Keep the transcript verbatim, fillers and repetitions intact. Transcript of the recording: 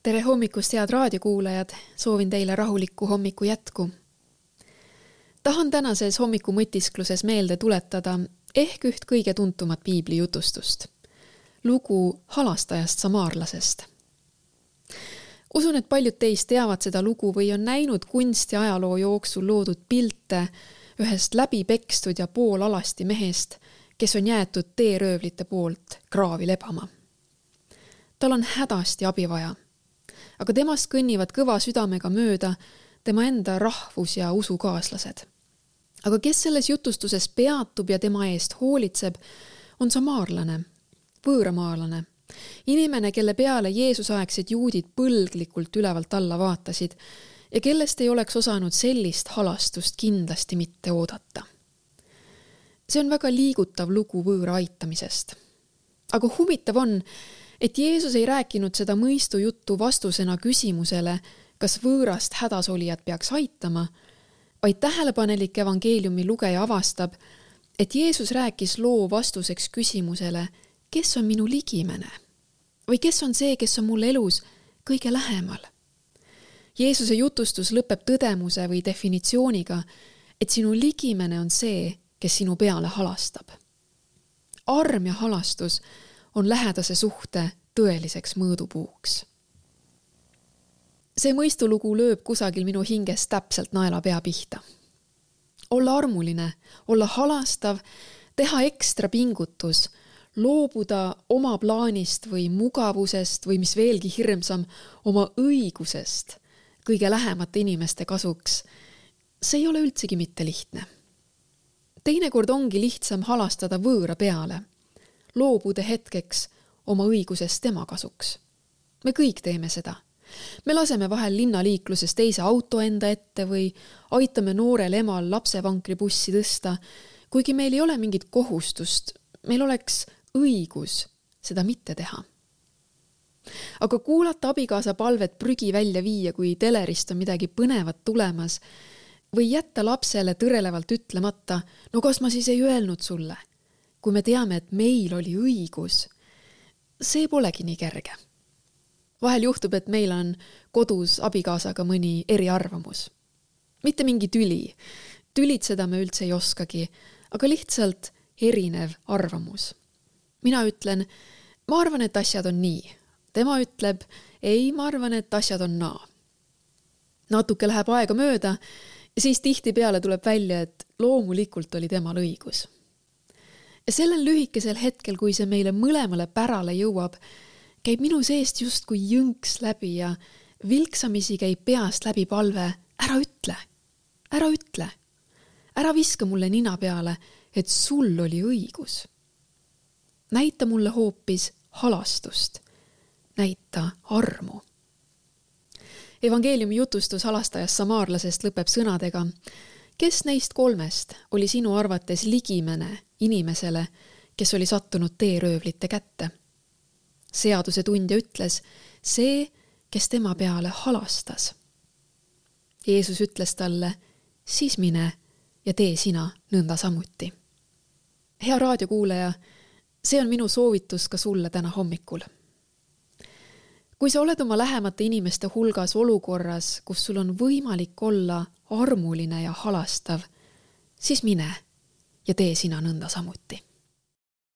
Tere hommikust, head raadiokuulajad, soovin teile rahulikku hommiku jätku. Tahan tänases hommiku mõtiskluses meelde tuletada ehk üht kõige tuntumat piibli jutustust. Lugu halastajast samaarlasest. Usun, et paljud teist teavad seda lugu või on näinud kunsti ajaloo jooksul loodud pilte ühest läbi pekstud ja poolalasti mehest, kes on jäetud teeröövlite poolt kraavi lebama. Tal on hädasti abi vaja, aga temast kõnnivad kõva südamega mööda tema enda rahvus- ja usukaaslased. Aga kes selles jutustuses peatub ja tema eest hoolitseb, on samaarlane, võõramaalane, inimene, kelle peale Jeesusaegsed juudid põlglikult ülevalt alla vaatasid ja kellest ei oleks osanud sellist halastust kindlasti mitte oodata. See on väga liigutav lugu võõra aitamisest. Aga huvitav on, et Jeesus ei rääkinud seda mõistu juttu vastusena küsimusele, kas võõrast hädasolijat peaks aitama, vaid tähelepanelik evangeeliumi lugeja avastab, et Jeesus rääkis loo vastuseks küsimusele, kes on minu ligimene või kes on see, kes on mul elus kõige lähemal. Jeesuse jutustus lõpeb tõdemuse või definitsiooniga, et sinu ligimene on see, kes sinu peale halastab. Arm ja halastus on lähedase suhte tõeliseks mõõdupuuks. See mõistulugu lööb kusagil minu hinges täpselt naela pea pihta. Olla armuline, olla halastav, teha ekstra pingutus, loobuda oma plaanist või mugavusest või mis veelgi hirmsam, oma õigusest kõige lähemate inimeste kasuks. See ei ole üldsegi mitte lihtne. Teinekord ongi lihtsam halastada võõra peale, loobuda hetkeks oma õigusest tema kasuks. Me kõik teeme seda. Me laseme vahel linnaliikluses teise auto enda ette või aitame noorel emal lapsevankri bussi tõsta, kuigi meil ei ole mingit kohustust, meil oleks õigus seda mitte teha. Aga kuulata abikaasa palvet prügi välja viia, kui telerist on midagi põnevat tulemas, või jätta lapsele tõrelevalt ütlemata, no kas ma siis ei öelnud sulle, kui me teame, et meil oli õigus, see polegi nii kerge. Vahel juhtub, et meil on kodus abikaasaga mõni eriarvamus. Mitte mingi tüli. Tülitseda me üldse ei oskagi, aga lihtsalt erinev arvamus. Mina ütlen, ma arvan, et asjad on nii. Tema ütleb, ei, ma arvan, et asjad on naa. Natuke läheb aega mööda ja siis tihti peale tuleb välja, et loomulikult oli temal õigus. Ja sellel lühikesel hetkel, kui see meile mõlemale pärale jõuab, käib minu seest just kui jõnks läbi ja vilksamisi käib peast läbi palve, ära ütle, ära ütle, ära viska mulle nina peale, et sul oli õigus. Näita mulle hoopis halastust, näita armu. Evangeeliumi jutustus halastajast samaarlasest lõpeb sõnadega, kes neist kolmest oli sinu arvates ligimene inimesele, kes oli sattunud teeröövlite kätte? Seaduse tundja ütles, see, kes tema peale halastas. Jeesus ütles talle, siis mine ja tee sina nõnda samuti. Hea raadiokuulaja, see on minu soovitus ka sulle täna hommikul. Kui sa oled oma lähemate inimeste hulgas olukorras, kus sul on võimalik olla armuline ja halastav, siis mine ja tee sina nõnda samuti.